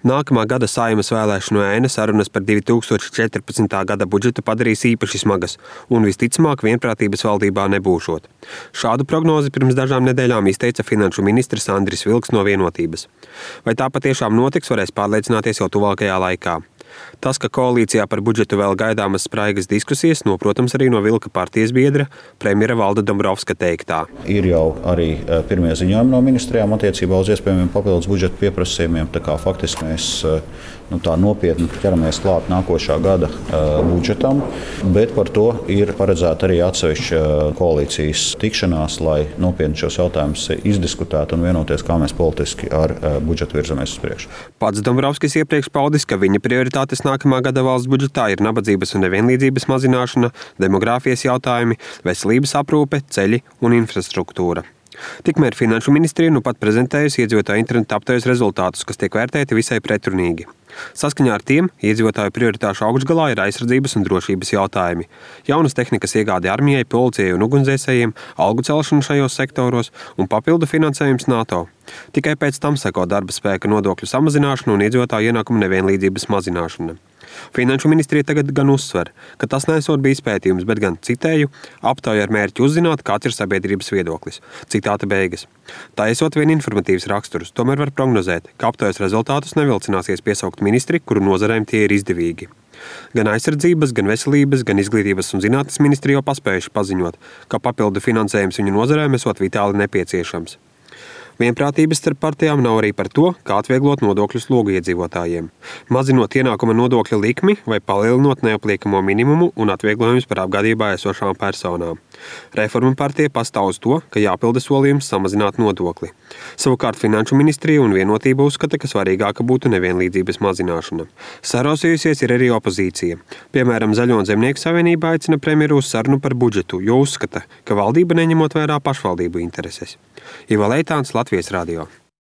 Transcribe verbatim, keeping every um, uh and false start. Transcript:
Nākamā gada Saeimas vēlēšanu ēna sarunas par divi tūkstoši četrpadsmitā gada budžetu padarīs īpaši smagas un visticamāk vienprātības valdībā nebūšot. Šādu prognozi pirms dažām nedēļām izteica finanšu ministrs Andris Vilks no Vienotības. Vai tā patiešām notiks, varēs pārliecināties jau tuvākajā laikā. Tas, ka koalīcijā par budžetu vēl gaidāmas spraigas diskusijas, noprotams arī no Vilka partijas biedra, premjera Valda Dombrovska teiktā. Ir jau arī pirmie ziņojumi no ministrijām attiecībā uz iespējamiem papildus budžeta pieprasījumiem, tā kā faktiski mēs nu, tā nopietni ķeramies klāt nākošā gada uh, budžetam, bet par to ir paredzēta arī atsevišķa koalīcijas tikšanās, lai nopietni šos jautājumus izdiskutētu un vienoties, kā mēs politiski ar uh, budžetu virzamies uz priekšu. Pats Dombrovskis iepriekš paudis, ka viņa prioritātes nākamā gada valsts budžetā ir nabadzības un nevienlīdzības mazināšana, demogrāfijas jautājumi, veselības aprūpe, ceļi un infrastruktūra. Tikmēr Finanšu ministrija nu pat prezentējusi iedzīvotāju interneta aptaujas rezultātus, kas tiek vērtēti visai pretrunīgi. Saskaņā ar tiem iedzīvotāju prioritāšu augšgalā ir aizsardzības un drošības jautājumi, jaunas tehnikas iegāde armijai, policijai un ugunsdzēsējiem, algu celšana šajos sektoros un papildu finansējums NATO. Tikai pēc tam seko darba spēka nodokļu samazināšana un iedzīvotāju ienākumu nevienlīdzības mazināšana. Finanšu ministrija tagad gan uzsver, ka tas neesot bijis pētījums, bet gan, citēju, aptauja ar mērķi uzzināt, kāds ir sabiedrības viedoklis. Citāta beigas. Tā esot vien informatīvs raksturs, tomēr var prognozēt, ka aptaujas rezultātus nevilcināsies piesaukt ministri, kuru nozarēm tie ir izdevīgi. Gan aizsardzības, gan veselības, gan izglītības un zinātnes ministri jau paspējuši paziņot, ka papildu finansējums viņu nozarēm esot vitāli nepieciešams. Vienprātības starp partijām nav arī par to, kā atvieglot nodokļu slogu iedzīvotājiem. Mazinot ienākuma nodokļa likmi vai palielinot neapliekamo minimumu un atvieglojumus par apgādībā esošām personām. Reforma partija pastāv uz to, ka jāpilda solījums samazināt nodokli. Savukārt Finanšu ministrija un Vienotība uzskata, ka svarīgāka būtu nevienlīdzības mazināšana. Sarosījusies ir arī opozīcija. Piemēram, Zaļo un Zemnieku savienība aicina premjeru uz sarunu par budžetu, jo uzskata, ka valdība neņemot vērā pašvaldību intereses. Iva Leitāns, Latvijas radio.